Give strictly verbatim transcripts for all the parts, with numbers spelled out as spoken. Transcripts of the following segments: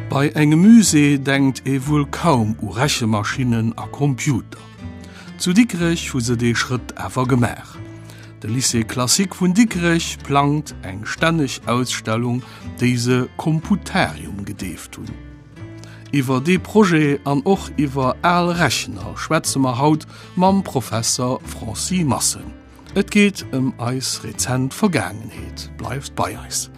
Bei engem Musée denkt ee wuel kaum u Rechemaschinen a Computer. Zu Dikrech hu se dee Schrëtt awer gemaach. De Lycée classique vun Dikrech plangt eng stänneg Ausstellung, déi se Computarium gedeeft hunn. Iwwer dee Projet an och iwwer al Rechner schwätze mer haut mam Professer Francis Massen. Et geet ëm eis rezent Vergaangenheet. Bleift bei eis.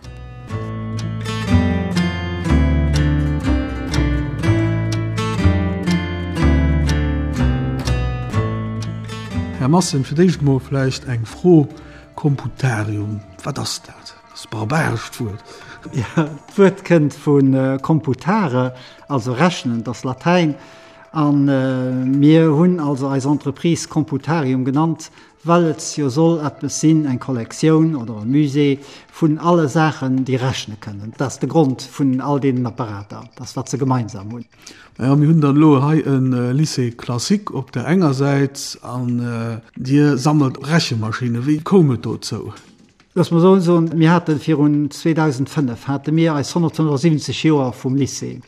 Här Massen, fir d'éischt mol vläicht eng Fro, Computarium, wat ass dat? Dat ass e barbarescht Wuert. Jo, d'Wuert kënnt vu computare, also rechnen, dat ass Latäin. A mir hunn also eis Entreprise Computarium genannt, well et jo soll eppes sinn, eng Kollektioun oder e Musée vun alle Saachen, déi rechne kënnen. Dat ass de Grond vun all deenen Apparater, dat ass, wat se gemeinsam hunn. Naja, mir hunn dann elo hei e Lycée classique op der enger Säit an Dir sammelt Rechemaschinen. Wéi koum et dozou? Looss mer esou soen, mir hate virun zweedausendfënnef hate mir eis honnertfënnefundsiwwenzeg Joer vum Lycée.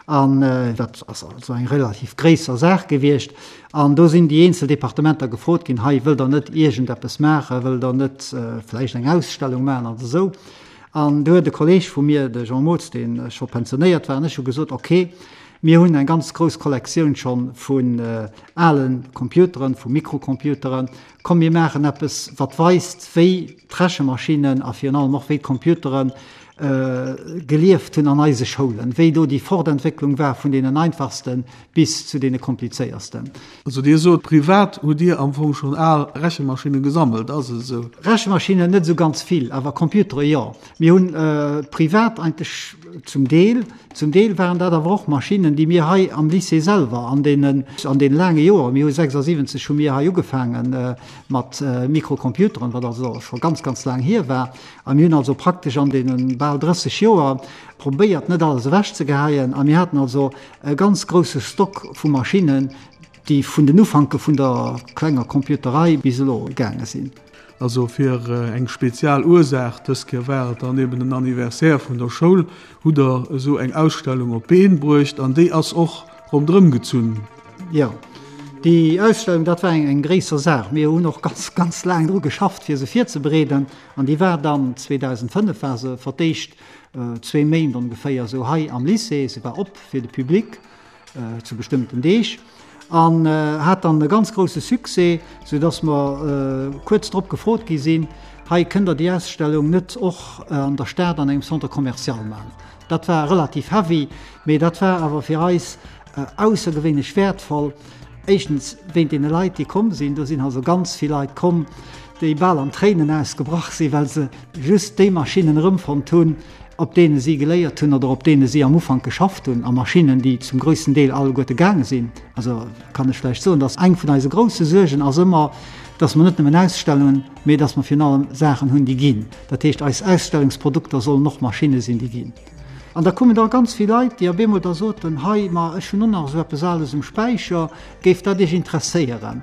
An dat ass also eng relativ gréisser Saach gewiescht. An do sinn déi eenzel Departementer gefrot ginn, hei, wëllt Der net iergendeppes maachen, wëllt Der net vläicht eng Ausstellung maachen an esou. An do huet e Kolleeg vu mir, de Jean Mootz, dee scho pensionéiert war, an ech hu gesot, okay, mir hunn eng ganz grouss Kollektioun scho vun ale Computeren, vu Mikrocomputeren, komm mir maachen eppes, wat weist, wéi d'Rechemaschinen a virun allem och wéi d'Computeren gelieft hunn an eise Schoulen, wéi do déi Fortentwécklung war vun deenen einfachste bis zu deene komplizéiersten. Also Dir sot, privat hutt Dir am Fong schonn al Rechemaschinne gesammelt, ass et esou? Rechemaschinen net esou ganz vill, awer Computere jo. Mir hunn privat eigentlech zum Deel, zum Deel waren dat awer och Maschinnen, déi mir hei am Lycée selwer an deenen, an deene laange Joren, mir hu sechsundsiwwenzeg hu mir hei ugefaange mat Mikrocomputeren, wat also scho ganz, ganz laang hier war, a mir hunn also praktesch an deene bal drësseg Joer probéiert, net alles ewechzegeheien, a mir haten also e ganz grousse Stock vu Maschinnen, déi vun den Ufanke vun der klenger Computerei bis elo gaange sinn. Also fir eng spezial Ursaach, dës Kéier war et dann eben den Anniversaire vun der Schoul, hutt Der esou eng Ausstellung op d'Been bruecht an déi ass och ronderëm gezunn. Jo, déi Ausstellung, dat war eng gréisser Saach. Mir hunn och ganz, ganz laang dru geschafft, fir se virzebereeden. An déi war dann, zweedausendfënnef war se fir d'éischt zwee Méint ongeféier esou hei am Lycée. Se war op fir de Public zu bestëmmten Deeg an hat dann e ganz grousse Succès, soudass mer kuerz drop gefrot gi sinn, Hei, kënnt Der déi Ausstellung net och an der Stad an engem Centre commercial maachen? Dat war relativ heavy, mee dat war awer fir eis aussergewéinlech wäertvoll. Éischtens wéint deene Leit, déi komm sinn. Do sinn also ganz vill Leit komm, déi bal an Tréinen ausgebrach sinn, well se just déi Maschinnen erëmfonnt hunn, op deene si geléiert hunn oder op deene si am Ufank geschafft hunn, a Maschinnen, déi zum gréissten Deel alleguerte gaange sinn. Also kann ech vläicht soen, dass eng vun eise grousse Suergen ass ëmmer, dass mer net nëmmen Ausstellungen, mee dass mer virun allem Saachen hunn, déi ginn. Dat heescht, eis Ausstellungsprodukter sollen och Maschinne sinn, déi ginn. An da koumen da ganz vill Leit, déi op eemol da soten, Hei, ma ech hunn och nach esou eppes Ales um Späicher, géif dat Iech interesséieren?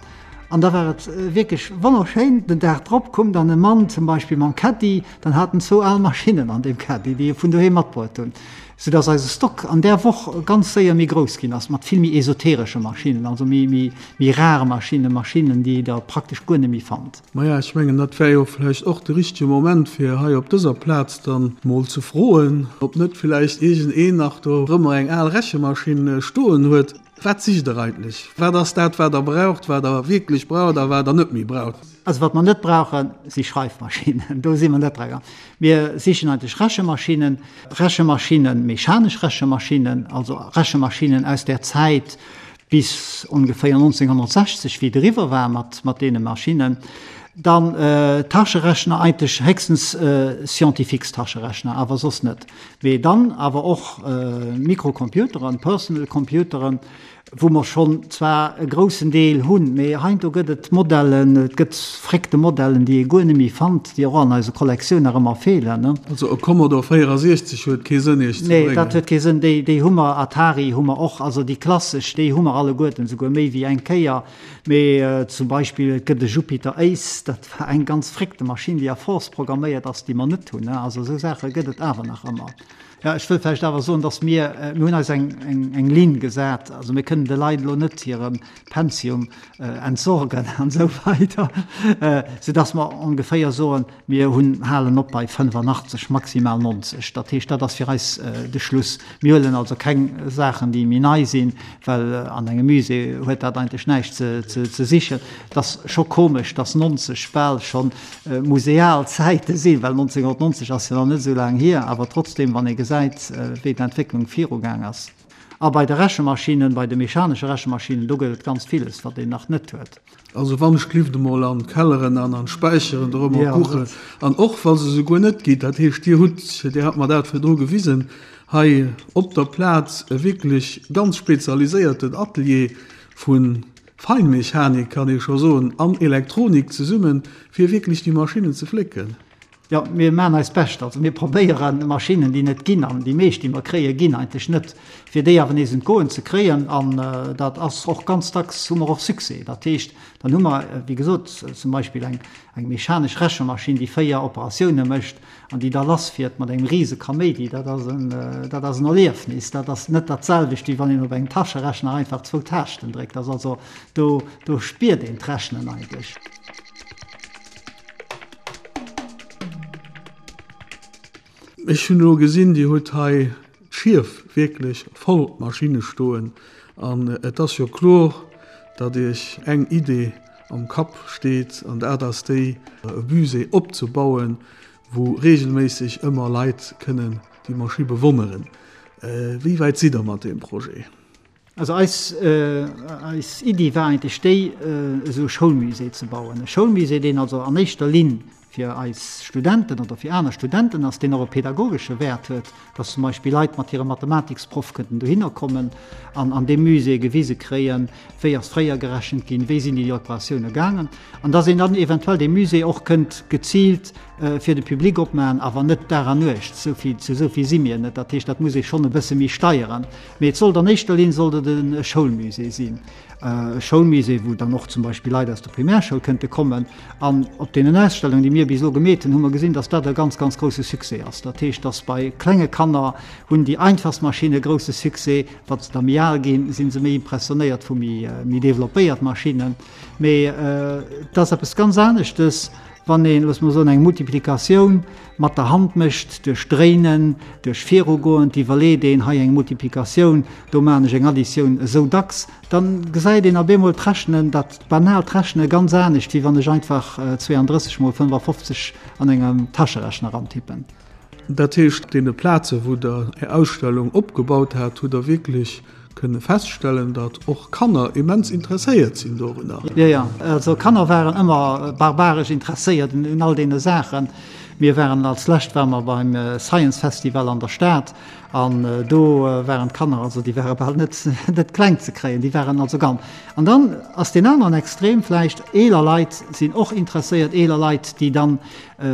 An da war et wierklech wonnerschéin. Den Dag drop koum dann e Mann zum Beispill mam Caddy, dann hat en zwou al Maschinnen an deem Caddy, déi e vun doheem matbruet hunn, soudass eise Stock an där Woch ganz séier méi grouss ginn ass, mat vill méi esoteresche Maschinnen, also méi, méi, méi rar Maschinnen, Maschinnen, déi Der praktesch guer net méi fannt. Maja, ech mengen, dat wär jo vläicht och de richtege Moment, fir hei op dëser Plaz dann mol ze froen, ob net vläicht iergendeen nach dorëmmer eng al Rechemaschinn stoen huet. Wat sicht Der eigentlech? Wat ass dat, wat Der braucht, wat Der wierklech braucht a wat Der net méi braucht? Also wat mer net brauchen, si Schreifmaschinnen. Do si mer net dra. Mir sichen eigentlech Rechemaschinen, Rechemaschinen, mechanesch Rechemaschinen, also Rechemaschinen aus där Zäit, bis ongeféier nonzénghonnertsechzeg, wéi et eriwwer war mat, mat deene Maschinnen, dann Taschenrechner, eigentlech héchstens Scientifiques-Taschenrechner, awer soss net. Mee dann awer och Mikrocomputeren, Personal Computeren, wou mer schonn zwar e groussen Deel hunn, mee heiansdo gëtt et Modellen, et gëtt fréckte Modellen, déi ee guer net méi fannt, déi och an eiser Kollektioun nach ëmmer feelen. Also e Commodore véierasiechzeg huet kee Sënn Iech ze bréngen? Nee, dat huet kee Sënn. Déi, déi hu mer, Atari hu mer och, also déi klassesch, déi hu mer alleguerten, souguer méi wéi eng Kéier. Mee zum Beispill et gëtt e Jupiter Ace, dat war eng ganz fréckte Maschinn, déi a Force programméiert ass, déi mer net hunn. Also esou Saache gëtt et awer nach ëmmer. Jo, ech wëll vläicht awer soen, dass mir, mir hunn eis eng, eng, eng Linn gesat. Also mir kënnen de Leit elo net hire Pensium entsorgen an esou weider, soudass mer ongeféier soen, mir hunn, halen op bei fënnefanachtzeg, maximal nonzeg. Dat heescht, dat ass fir eis de Schluss. Mir huelen also keng Saachen, déi méi nei sinn, well an engem Musée huet dat eigentlech näischt ze, ze, ze sichen. Et ass scho komesch, dass nonzeg bal schonn museal Zäite sinn, well nonzénghonnertnonzeg ass jo nach net esou laang hier, awer trotzdem, wann ee gesäit, wéi d'Entwécklung virugaang ass. A bei de Rechemaschinen, bei de mechanesche Rechemaschinen, do gëtt et ganz villes, wat een nach net huet. Also wann ech glift emol an d'Kelleren an an d'Späicheren dorëmmer kuchen, an och wa se souguer net gitt, dat heescht Dir hutt, Dir hat mer dat virdru gewisen, hei op der Plaz e wierklech ganz spezialiséierten Atelier vu Feinmechanik, kann ee scho soen, an Elektronik zesummen, fir wierklech déi Maschinnen ze flécken. Jo, mir maachen eist Bescht. Also mir probéieren Maschinnen, déi net ginn, an déi meescht, déi mer kréien, ginn eigentlech net, fir déi awer nees un d'Goen ze kréien. An dat ass och ganz dacks, hu mer och Succès. Dat heescht, dann hu mer, wéi gesot, zum Beispill eng, eng mechanesch Rechemaschinn, déi véier Operatioune mécht an déi da lassfiert mat engem rise Kaméidi. Dat ass en, dat ass en Erliefnis. Dat ass net dat selwecht, wéi wann een op engem Taschenrechner einfach zwou Taaschten dréckt. Dat ass also, do, do spiert een d'Rechnen eigentlech. Ech hunn elo gesinn, Dir hutt hei d'Schief wierklech voll Maschinne stoen. An et ass jo kloer, datt Iech eng Idee am Kapp steet, an dat ass déi, e Musée opzebauen, wou reegelméisseg ëmmer Leit kënnen déi Maschinn bewonneren. Wéi wäit sidd Der mat deem Projet? Also eis, eis Iddi war eigentlech déi, esou e Schoulmusée ze bauen. E Schoulmusée, deen also an éischter Linn fir eis Studenten oder fir aner Studenten ass, deen och e pedagogesche Wäert huet, dass zum Beispill Leit mat hirem Mathematiksproff kënnten dohinner kommen an an deem Musée gewise kréien, wéi ass fréier gerechent ginn, wéi sinn déi Operatioune gaangen, an dass een dann eventuell dee Musée och kënnt geziilt fir de Public opmachen, awer net Dag an Nuecht, esou vill, zu esou vill si mir net. Dat heescht, dat muss ee schonn e bësse méi steieren. Mee et sollt an éischter Linn sollt et e Schoulmusée sinn. E Schoulmusée, wou dann och zum Beispill Leit aus der Primärschoul kënnte kommen. An op deenen Ausstellungen, déi mir bis elo gemeet hunn, hu mer gesinn, dass dat e ganz, ganz grousse Succès ass. Dat heescht, dass bei klenge Kanner hunn déi einfachst Maschinne grousse Succès. Wa se da méi al ginn, si se méi impressionéiert vu méi, méi developpéiert Maschinnen. Mee et ass eppes ganz aneschtes, wann een, loosse mer soen, eng Multiplikatioun mat der Hand mécht, duerch Dréinen, duerch Virugoen, et iwwerleet een, hei eng Multiplikatioun, do maachen ech eng Additioun, esou dacks, dann gesäit een op eemol d'Rechnen, dat banaalt Rechne ganz anescht, wéi wann ech einfach zweeandrësseg mol fënnefafofzeg an engem Taschenrechner antippen. Dat heescht, op deene Plaze wou Der Är Ausstellung opgebaut hat, hutt Der wierklech kënne feststellen, datt och Kanner immens interesséiert sinn dorunner. Jo, jo, also Kanner waren ëmmer barbaresch interesséiert un all deene Saachen. Mir waren als lescht ware mer beim Science Festival an der Stad an do waren d'Kanner, also déi ware bal net net kleng ze kréien, déi waren also ganz. An dann ass deen aneren Extrem vläicht, eeler Leit sinn och interesséiert, eeler Leit, déi dann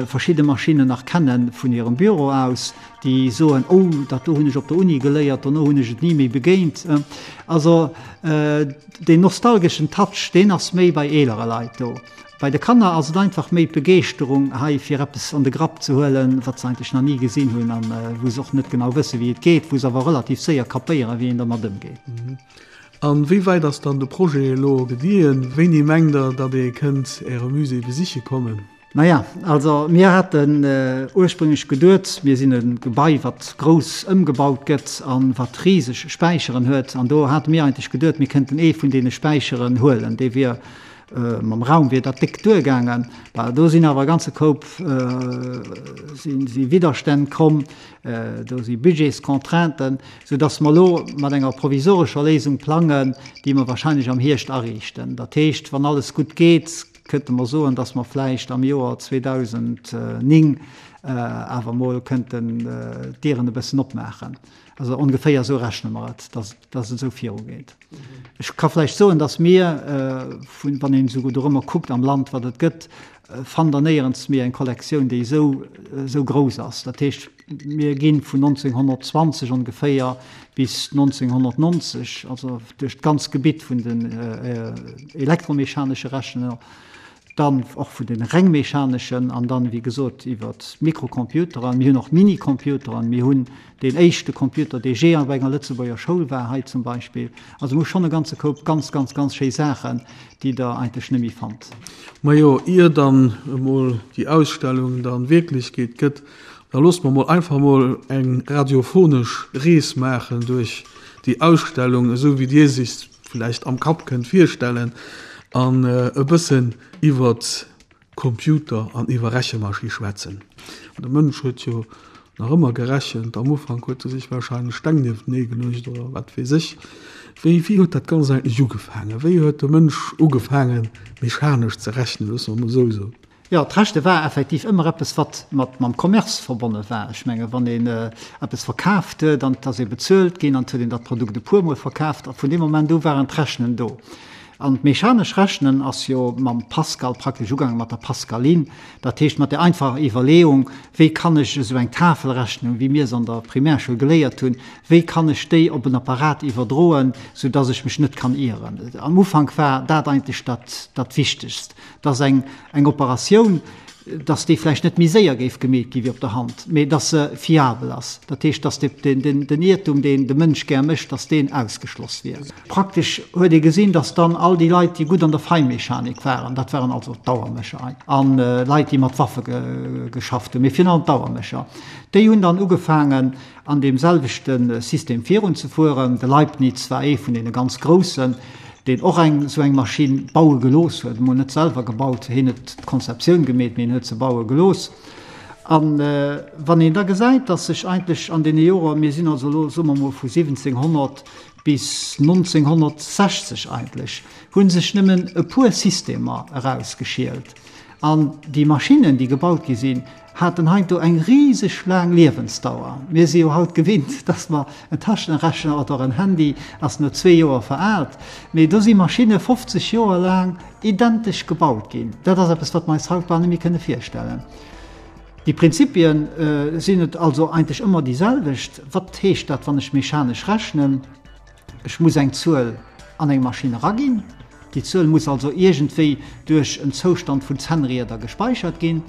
verschidde Maschinnen nach kenne vun hirem Büro aus, déi soen, oh, dat do hunn ech op der Uni geléiert, dono hunn ech et ni méi begéint. Also deen nostalgeschen Touch, deen ass méi bei eelere Leit do. Bei de Kanner ass et einfach méi d'Begeeschterung hei fir eppes an de Grapp ze huelen, wat se eigentlech nach ni gesinn hunn an wou se och net genau wësse wéi et geet, wou se awer relativ séier kapéieren, wéi een dermat ëmgeet. An wéi wäit ass dann de Projet elo gediehen? Wéini mengt Der, datt ee kënnt Äre Musée besiche kommen? Naja, also mir haten ursprünglech geduet, mir sinn e Gebai, wat grouss ëmgebaut gëtt a wat riseg Späicheren huet. An do hate mir eigentlech geduet, mir kënnten ee vun deene Späicheren huelen. Dee wier, mam Raum wier dat déck duergaangen. Bah, do sinn awer e ganze Koup si Widderstänn komm, do si Budgetscontrainten, soudass mer elo mat enger provisorescher Léisung plangen, déi mer wahrscheinlech am Hierscht ariichten. Dat heescht, wann alles gutt geet, Kënnte mer soen, dass mer vläicht am Joer zweedausendnéng awer emol kënnten d'Dieren e bëssen opmaachen. Also ongeféier esou rechne mer et, dass, dass et esou virugeet. Ech ka vläicht soen, dass mir, vun, wann een esou dorëmmer kuckt am Land, wat et gëtt, fannt Der néierens méi eng Kollektioun, déi esou, esou grouss ass. Dat heescht, mir gi vun nonzénghonnertzwanzeg ongeféier bis nonzénghonnertnonzeg, also duerch d'ganz Gebitt vun den elektromechanesche Rechner, dann och vun den reng mechaneschen an dann, wéi gesot, iwwer d'Mikrocomputeren. Mir hunn och Minicomputeren, mir hunn deen éischte Computer, dee jee op enger Lëtzebuerger Schoul war, hei zum Beispill. Also mir hu schonn e ganze Koup ganz, ganz, ganz schéi Saachen, déi Der eigentlech net méi fannt. Majo, ier dann emol déi Ausstellung dann Wierklechkeet gëtt, da loosst mer mol einfach mol eng radiophonesch Rees maachen duerch déi Ausstellung, esou wéi Dir sich vläicht am Kapp kënnt virstellen, an e bëssen iwwert Computer an iwwer Rechemaschie schwätzen. De Mënsch huet jo nach ëmmer gerechent. Am Ufank huet e sech wahrscheinlech Steng nieftenee geluecht oder wat weess ech. Wéi, wéi huet dat Ganzt eigentlech ugefaangen? Wéi huet de Mënsch ugefaangen, mechanesch ze rechnen, loosse mer emol esou soen? Jo, d'Rechte war effektiv ëmmer eppes, wat mat mam Commerce verbonne war. Ech menge wann een eppes verkaaft huet an et ass ee bezuelt ginn an et huet een dat Produkt e puermol verkaaft, a vun deem Moment u waren d'Rechnen do. An d'mechanesch Rechnen ass jo mam Pascal praktesch ugaangen, mat der Pascaline, dat heescht mat der einfacher Iwwerleeung, wéi kann ech esou eng Tafelrechnung, wéi mir se an der Primärschoul geléiert hunn, wéi kann ech déi op en Apparat iwwerdroen, sou dass ech mech net kann ieren. Am Ufank war dat eigentlech dat, dat Wichtegst, dass eng, eng Operatioun, dass déi vläicht net méi séier géif gemeet gi wéi op der Hand, mee dass se fiabel ass. Dat heescht, dass de, den, den Iertum, deen de Mënsch gär mécht, dass deen ausgeschloss wier. Praktesch huet ee gesinn, dass dann all déi Leit, déi gutt an der Feinmechanik waren, dat waren also d'Auermécher an Leit, déi mat Waffe geschafft hunn, mee virun allem d'Auermécher, déi hunn dann ugefaangen, an deem selwechte System virunzefueren. De Leibniz war ee vun deene ganz Groussen, deen och eng esou eng Maschinn baue gelooss huet, emol net selwer gebaut, hien huet d'Konzeptioun gemeet, mee hien huet se baue gelooss. A wann een da gesäit, datt sech eigentlech an deene Joer, mir sinn also elo, soe mer emol, vu siwwenzénghonnert bis nonzénghonnertsechzeg eigentlech, hu sech nëmmen e puer Systemer erausgeschielt. An déi Maschinnen, déi gebaut gi sinn, haten heiansdo eng riseg laang Liewensdauer. Mir si jo haut gewinnt, dass mer en Taschenrechner oder en Handy ass no zwee Joer veraalt, mee do si Maschinne fofzeg Joer laang identesch gebaut ginn. Dat ass eppes, wat mer eis haut bal net méi kënne virstellen. Déi Prinzipien sinn et also eigentlech ëmmer déi selwecht. Wat heescht dat, wann ech mechanesch rechnen? Ech muss eng Zuel an eng Maschinn eraginn. Déi Zuel muss also iergendwéi duerch en Zoustand vun Zännrieder gespeichert ginn.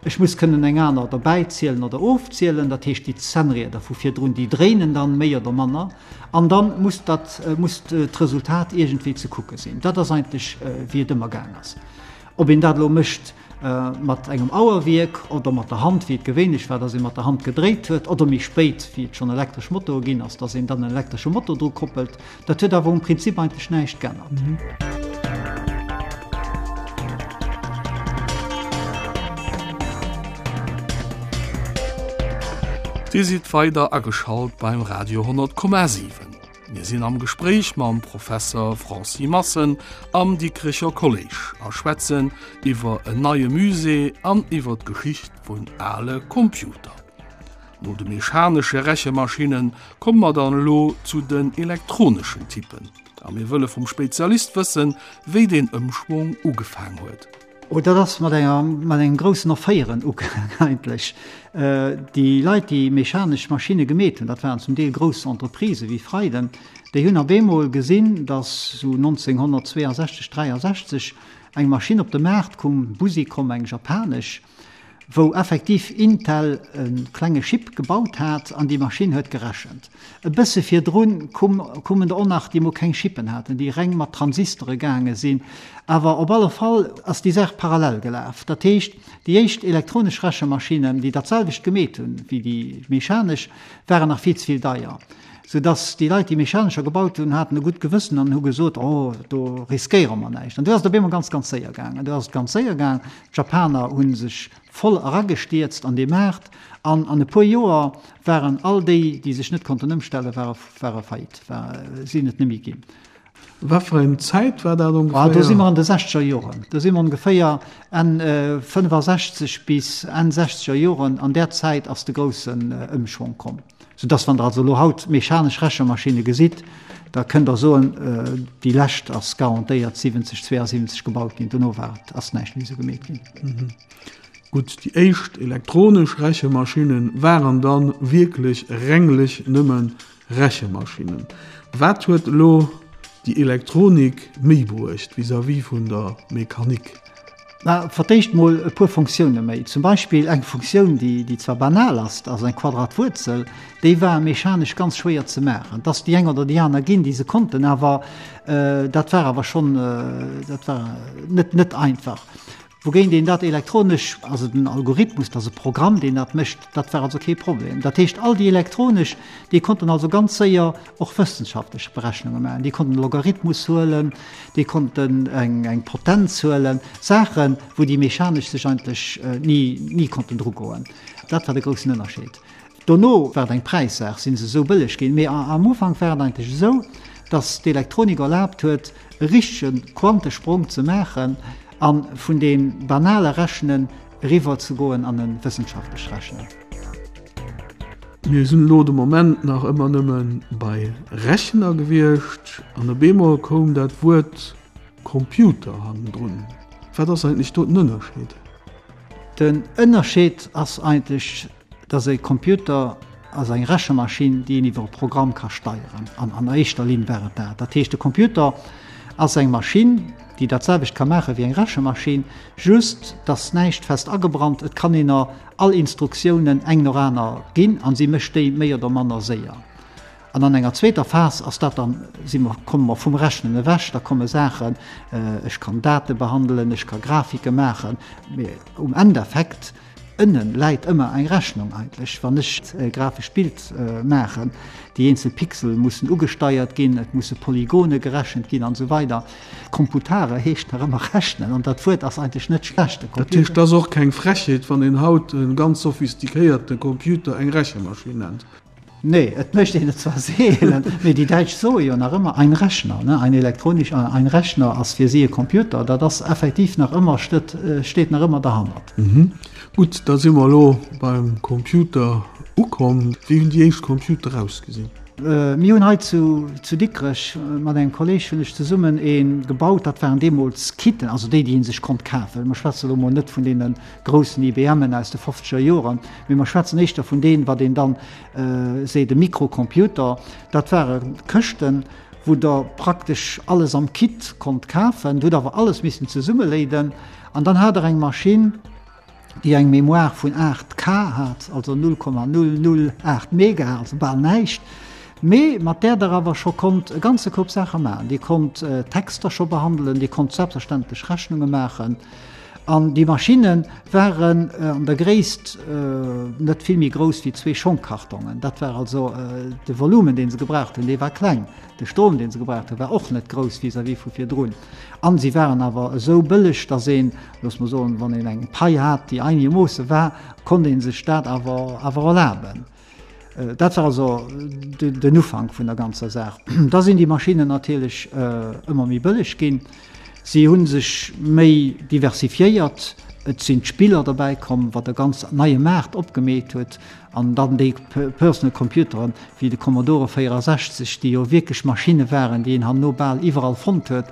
Ech muss kënnen eng aner derbäizielen oder ofzielen, dat heescht déi Zännrieder vu virdrun, déi dréinen dann méi oder manner an dann muss dat, muss d'Resultat iergendwéi ze kucke sinn. Dat ass eigentlech wéi et ëmmer gaang ass. Ob een dat elo mécht mat engem Auerwierk oder mat der Hand, wéi et gewéinlech war, dass ee mat der Hand gedréit huet, oder méi spéit, wéi et schonn elektresch Motoe ginn ass, dass een dann en elektresche Motor dru koppelt, dat huet awer um Prinzip eigentlech näischt g'ännert. Dir sidd weider ageschalt beim Radio honnert Komma siwen. Mir sinn am Gespréich mam Professer Francis Massen am Dikrecher Kolleg a schwätzen iwwer en neie Musée an iwwer d'Geschicht vun ale Computer. No de mechanesche Rechemaschinne komme mer dann elo zu den elektroneschen Typen. A mir wëlle vum Spezialist wëssen, wéi deen Ëmschwong ugefaang huet. Oh, dat ass mat enger, mat engem groussen Erféieren ugaang eigentlech. Déi Leit, déi mechanesch Maschinne gemeet hunn, dat waren zum Deel grouss Entreprisë wéi Freyden, déi hunn op eemol gesinn, datt esou nonzénghonnertzweeasechzeg, dräiasechzeg eng Maschinn op de Maart koum, Busicom, eng japanesch, wou effektiv Intel e klenge Chip gebaut hat an déi Maschinn huet gerechent. E bësse virdrun koumen der och nach, déi mol keng Chippen haten, déi reng mat Transistere gaange sinn. Awer op alle Fall ass déi Saach parallel gelaf. Dat heescht, déi éischt elektronesch Rechemaschinen, déi dat selwecht gemeet hunn wéi déi mechanesch, waren nach vill ze vill deier, soudass déi Leit, déi mechanescher gebaut hunn, haten e gutt Gewëssen an hu gesot, Oh, do riskéiere mer näischt. An du ass et op eemol ganz, ganz séier gaangen. Du ass et ganz séier gaangen. D'Japaner hu sech voll eragestierzt an dee Maart an an e puer Joer waren all déi, déi sech net konnten ëmstellen, ware ware faillite, war sinn et net méi ginn. Wat fir eng Zäit war dat ongeféier? Ah, do si mer an de sechzeger Joren. Do si mer ongeféier Enn fënnefasechzeg bis Enn sechzeger Joren. An där Zäit ass de groussen Ëmschwong komm. Soudass, wann Der also elo haut mechanesch Rechemaschinne gesitt, da kënnt Der soen, déi lescht ass garantéiert siwwenzeg, zweeasiwwenzeg gebaut ginn, dono war et, ass näischt méi esou gemeet ginn. Gutt, déi éischt elektronesch Rechemaschinne waren dann wierklech renglech nëmme Rechemaschinen. Wat huet elo déi Elektronik méi bruecht vis-à-vis vun der Mechanik? Mä fir d'éischt mol e puer Funktioune méi. Zum Beispill eng Funktioun, déi, déi zwar banal ass, ass eng Quadratwuerzel, déi war mechanesch ganz schwéier ze maachen. Et ass déi eng oder déi aner ginn, déi se konnten, awer dat war awer schonn, dat war net, net einfach. Wougéint een dat elektronesch, also den Algorithmus, dat ass e Programm, deen dat mécht, dat war also kee Problem. Dat heescht, all déi elektronesch, déi konnten also ganz séier och wëssenschaftlech Berechnunge maachen. Déi konnten Logarithmus huelen, déi konnten eng, eng Potenz huelen, Saachen, wou déi mechanesch sech eigentlech ni, ni konnten drugoen. Dat war de groussen Ënnerscheed. Dono war et eng Präissaach, si se esou bëlleg ginn. Mee am Ufank war et eigentlech esou, datt d'Elektronik erlaabt huet, e richtege Quantesprong ze maachen a vun deem banale Rechnen eriwwer ze goen an e wëssenschaftlecht Rechnen. Mir sinn elo de Moment nach ëmmer nëmme bei Rechner gewiescht an op eemol koum dat Wuert Computer hannendrun. Wat ass eigentlech do den Ënnerscheed? Den Ënnerscheed ass eigentlech, dass e Computer ass eng Rechemaschinn, déi een iwwer e Programm ka steieren. An an éischter Linn war et dat. Dat heescht, de Computer ass eng Maschinn, déi dat selwecht ka maache wéi eng Rechemaschinn, just dass näischt fest agebrannt, et kann een er all Instruktiounen eng no aner ginn an si mécht déi méi oder manner séier. An an enger zweeter Phas ass dat dann, si mer, komme mer vum Rechnen ewech, da komme Saachen, ech kann Date behandelen, ech ka Grafike maachen, mee um Endeffekt ënnen läit ëmmer eng Rechnung eigentlech. Wann ech e grafescht Bild maachen, déi eenzel Pixel mussen ugesteiert ginn, et musse Polygone gerechent ginn an esou weider. Computare heescht nach ëmmer rechnen an dat Wuert ass eigentlech net schlecht. Dat heescht, et ass och keng Frechheet, wann een haut e ganz sophistiquéierte Computer eng Rechemaschinn nennt. Nee, et mécht een et zwar seelen, mee déi Däitsch soe jo nach ëmmer ein Rechner, ne, ein elektronisch, ein Rechner ass fir si e Computer. Dat ass effektiv nach ëmmer, steet, steet nach ëmmer derhannert. Gutt, da si mer elo beim Computer ukomm. Wéi hunn déi éischt Computer ausgesinn? Mir hunn hei zu, zu Dikrech mat engem Kolleg hunn ech zesummen ee gebaut. Dat waren deemools Kitten, also déi, déi ee sech konnt kafen. Mer schwätze elo mol net vun deene groussen I B M'en aus de fofzeger Joren, mee mer schwätzen éischter vun deenen, wat een dann seet, e Mikrocomputer. Dat ware Këschten, wou Der praktesch alles am Kit konnt kafen. Der hutt awer alles missen zesummeléiden an dann hat Der eng Maschinn, déi eng Mémoire vun aacht K hat, also null Komma null null aacht Mega, also bal näischt, mee mat där Der awer scho konnt e ganze Koup Saache maachen. Dir konnt Texter scho behandelen, Dir konnt selbstverständlech Rechnunge maachen. An déi Maschinne waren an der Gréisst net vill méi grouss wéi zwee Schongkartongen. Dat war also de Volumen, dee se gebraucht hunn, dee war kleng. De Strom, dee se gebraucht hunn, war och net grouss vis-à-vis vu virdrun. An si waren awer esou bëlleg, datt een, looss mer soen, wann een eng Pai hat, déi einegermoosse war, konnt ee sech dat awer awer erlaben. Dat war also den Ufank vun der ganzer Saach. Da sinn déi Maschinnen natierlech ëmmer méi bëlleg ginn. Si hu sech méi diversifiéiert. Et sinn d'Spiller derbäi komm, wat e ganz neie Maart opgemeet huet. An dann déi Personal Computeren, wéi de Commodore véierasechzeg, déi jo wierklech Maschinne waren, déi een herno bal iwwerall fonnt huet,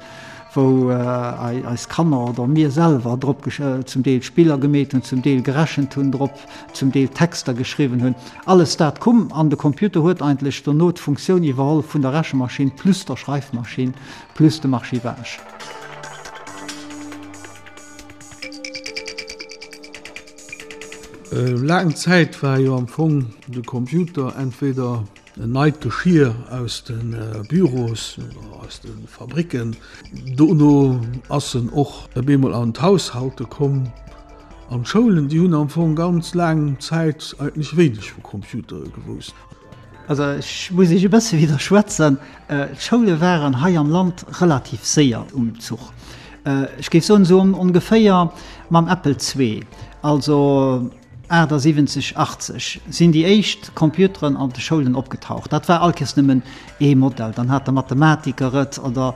wou eis Kanner oder mir selwer drop zum Deel Spiller gemeet hunn, zum Deel gerechent hunn drop, zum Deel Texter geschriwwen hunn. Alles dat koum an de Computer huet eigentlech dono d'Funktioun iwwerholl vun der Rechemaschinn plus der Schreifmaschinn plus dem Archivage. Laang Zäit war jo am Fong de Computer entweder en neit Geschir aus de Büros oder aus de Fabricken. Dono ass en och op eemol an d'Haushalte komm. An d'Schoulen, déi hunn am Fong ganz laang Zäit eigentlech wéineg vu Computere gewousst. Also ech muss Iech e bësse widderschwätzen. D'Schoule waren hei am Land relativ séier um Zuch. Ech géif soen, esou ongeféier mam Apple Zwee, also achtasiwwenzeg, achtzeg sinn déi éischt Computeren an de Schoulen opgetaucht. Dat war all Kéiers nëmmen ee Modell, dann hat de Mathematiker et oder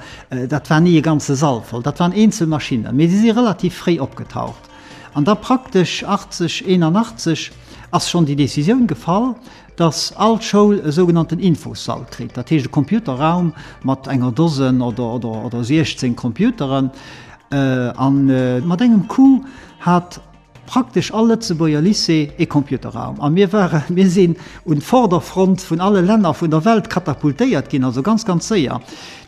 dat war ni e ganze Sall voll. Dat waren eenzel Maschinnen, mee si si relativ fréi opgetaucht. An da praktesch achtzeg, eenanachtzeg ass schonn déi Decisioun gefall, dass all Schoul e sougenannten Infossall kritt, dat heescht e Computerraum mat enger Dosen oder, oder, oder siechzéng Computeren. A mat engem Coup hat praktesch all Lëtzebuerger Lycée ee Computerraum. A mir waren, mir sinn un d'Vorderfront vun alle Länner vun der Welt katapultéiert ginn, also ganz, ganz séier.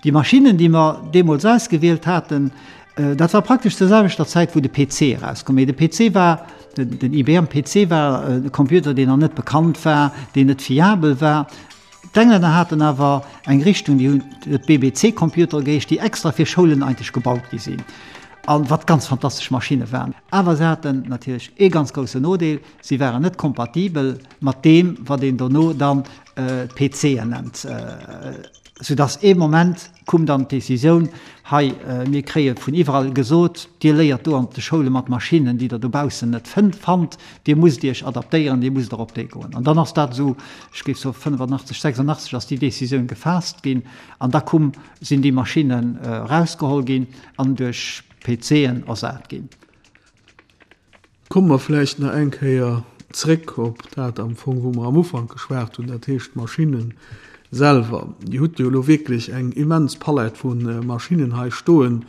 Déi Maschinnen, déi mer deemools ausgewielt haten, dat war praktesch zur selwechter Zäit, wou de P C erauskoum. Mee de P C war, den I B M P C war e Computer, deen nach net bekannt war, deen net fiabel war. D'Englänner haten awer eng Richtung, déi hunn B B C-Computere geheescht, déi extra fir Schoulen eigentlech gebaut gi sinn a wat ganz fantastesch Maschinne waren. Awer se haten natierlech ee ganz groussen Nodeel, Si waren net kompatibel mat deem, wat een dono dann P C'en nennt. Soudass ee Moment koum dann d'Decisioun, Hei, mir kréie vun iwwerall gesot, Dir léiert do an de Schoule mat Maschinnen, déi Der dobaussen net fannt, Dir musst Iech adaptéieren, Dir musst erop déi goen. An dann ass dat esou, ech géif soe fënnefannachtzeg, sechsundachtzeg ass déi Decisioun gefaasst ginn an da koum, sinn déi Maschinnen erausgeholl ginn an duerch P C'en ersat ginn. Komme mer vläicht nach eng Kéier zréck op dat am Fong, wou mer am Ufank geschwat hunn, dat heescht d'Maschinne selwer. Dir hutt jo elo wierklech eng immens Palett vu Maschinnen hei stoen.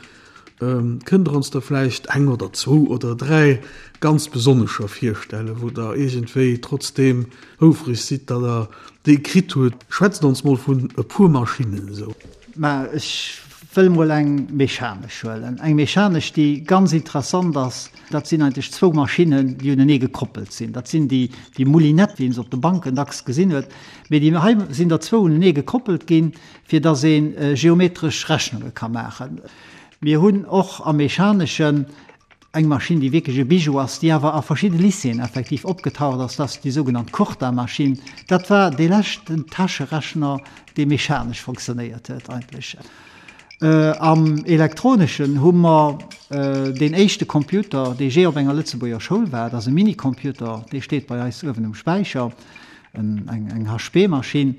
Kënnt Der ons der vläicht eng oder zwou oder dräi ganz besonnescher virstellen, wou Der iergendwéi trotzdeem houfreg sidd, datt Der déi kritt hutt? Schwätzt ons mol vun e puer Maschinnen esou. Mä ech wëll mol eng mechanesch huelen. Eng mechanesch, déi ganz interessant ass, dat sinn eigentlech zwou Maschinnen, déi unenee gekoppelt sinn. Dat sinn déi, déi Moulinette, wéi een se op de Banken dacks gesinn huet. Mee déi hei sinn der zwou unenee gekoppelt ginn, fir datt ee geometresch Rechnunge ka maachen. Mir hunn och am Mechaneschen eng Maschinn, déi wierklech e Bijou ass, déi awer a verschidde Lycéeën effektiv opgetaucht ass, dat ass déi sougenannt Curta-Maschinn. Dat war dee leschten Täscherechner, dee mechanesch fonctionnéiert huet eigentlech. Am Elektroneschen hu mer deen éischte Computer, dee jee op enger Lëtzebuerger Schoul war. Dat ass e Minicomputer, dee steet bei eis uewen um Späicher, eng H P-Maschinn.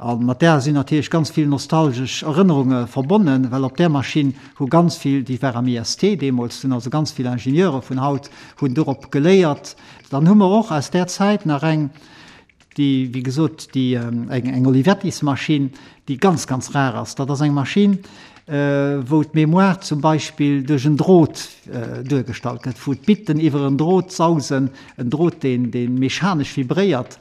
A mat där sinn natierlech ganz vill nostalgesch Erënnerunge verbonnen, well op där Maschinn hu ganz vill, déi war am I S T deemools, hunn also ganz vill Ingenieure vun haut hunn dorop geléiert. Dann hu mer och aus där Zäit nach eng, déi, wéi gesot, déi eng eng Olivettis-Maschinn, déi ganz, ganz rar ass. Dat ass eng Maschinn, wou d'Mémoire zum Beispill duerch en Drot duergestallt gëtt, wou d'Bitten iwwer en Drot sausen, en Drot, deen, dee mechanesch vibréiert.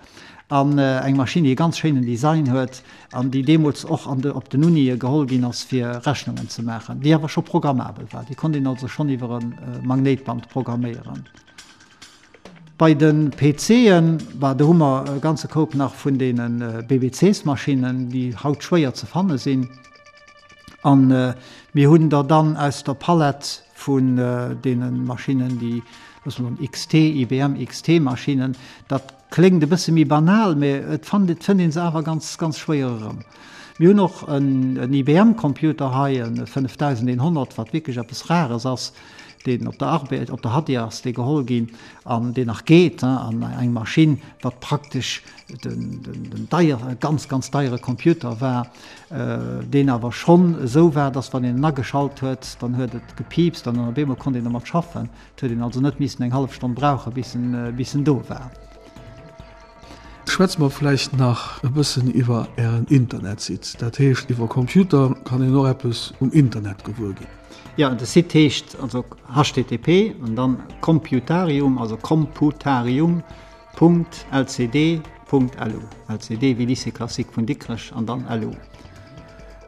An eng Maschinn, déi e ganz schéinen Design huet an déi deemools och an de, op den Unie geholl ginn ass, fir Rechnungen ze maachen, déi awer scho programmabel war. Déi konnt een also schonn iwwer e Magnéitband programméieren. Bei de P C'en, bah, do hu mer e ganze Koup nach vun deene B B Cs-Maschinnen, déi haut schwéier ze fanne sinn. An mir hunn der dann aus der Palett vun deene Maschinnen, déi, loosse mer soen, X T, I B M X T-Maschinnen, dat kléngt e bësse méi banal, mä et fannt, et fënnt ee se awer ganz, ganz schwéier erëm. Mir hunn och en, en I B M-Computer hei, e fënnefdausendeenhonnert, wat wierklech eppes Rares ass, deen op der Arbed, op der Hadir ass dee geholl ginn an deen nach geet, an eng Maschinn, wat praktesch den, den, den deier, ganz, ganz deiere Computer war, deen awer schonn esou war, dass wann een en ageschalt huet, dann huet et gepiipst an dann op eemol konnt een domat schaffen. Et huet een also net missen eng hallef Stonn brauchen, bis en, bis en do war. Schwätze mer vläicht nach e bëssen iwwer Ären Internetsite. Dat heescht, iwwer Computer kann een och eppes um Internet gewuer ginn. Jo, de Site heescht also H T T P an dann Computarium, also computarium Punkt L C D Punkt L U. L C D wéi Lycée Classique vun Dikrech an dann L U.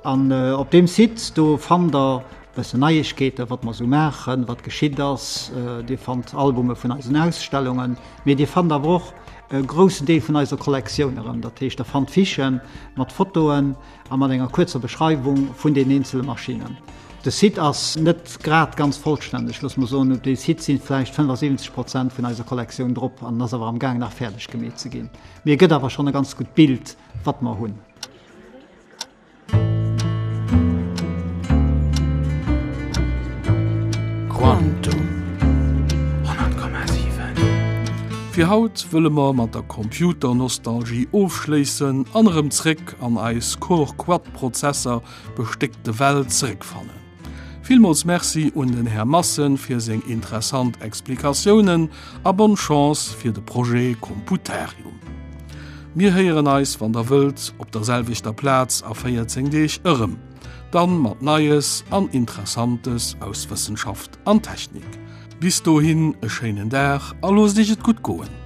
An op deem Site do fannt der e bëssen Neiegkeeten, wat mer esou maachen, wat geschitt ass. Dir fannt Albume vun eisen Ausstellungen, mee Dir fannt awer och e groussen Deel vun eiser Kollektioun erëm. Dat heescht, Der fannt Fichë mat Fotoen a mat enger kuerzer Beschreiwung vun den eenzele Maschinnen. De Site ass net grad ganz vollstänneg, loosse mer soen, op deem Site si vläicht fënnefasiwwenzeg Prozent vun eiser Kollektioun drop an en ass awer am Gaang nach fäerdeg gemeet ze ginn. Mee e gëtt awer schonn e ganz gutt Bild, wat mer hunn. Quantum. Fir haut wëlle mer mat der Computernostalgie ofschléissen an erëm zréck an eis Core-Quad-Prozesser bestéckte Welt zeréckfannen. Villmools Merci un den Här Massen fir seng interessant Explikatiounen a bonne Chance fir de Projet Computarium. Mir héieren eis, wann der wëllt, op der selwechter Plaz a véierzéng Deeg erëm. Dann mat Neies an Interessantes aus Wëssenschaft an Technik. Bis dohin e schéinen Dag a loosst iech et gutt goen.